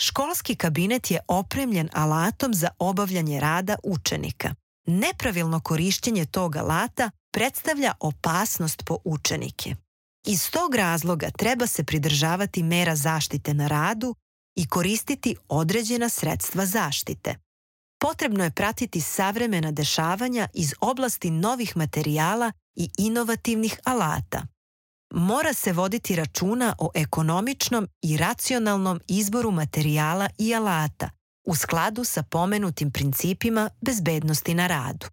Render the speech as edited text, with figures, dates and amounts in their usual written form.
Školski kabinet je opremljen alatom za obavljanje rada učenika. Nepravilno korišćenje tog alata predstavlja opasnost po učenike. Iz tog razloga treba se pridržavati mera zaštite na radu i koristiti određena sredstva zaštite. Potrebno je pratiti savremena dešavanja iz oblasti novih materijala i inovativnih alata. Mora se voditi računa o ekonomičnom i racionalnom izboru materijala i alata u skladu sa pomenutim principima bezbednosti na radu.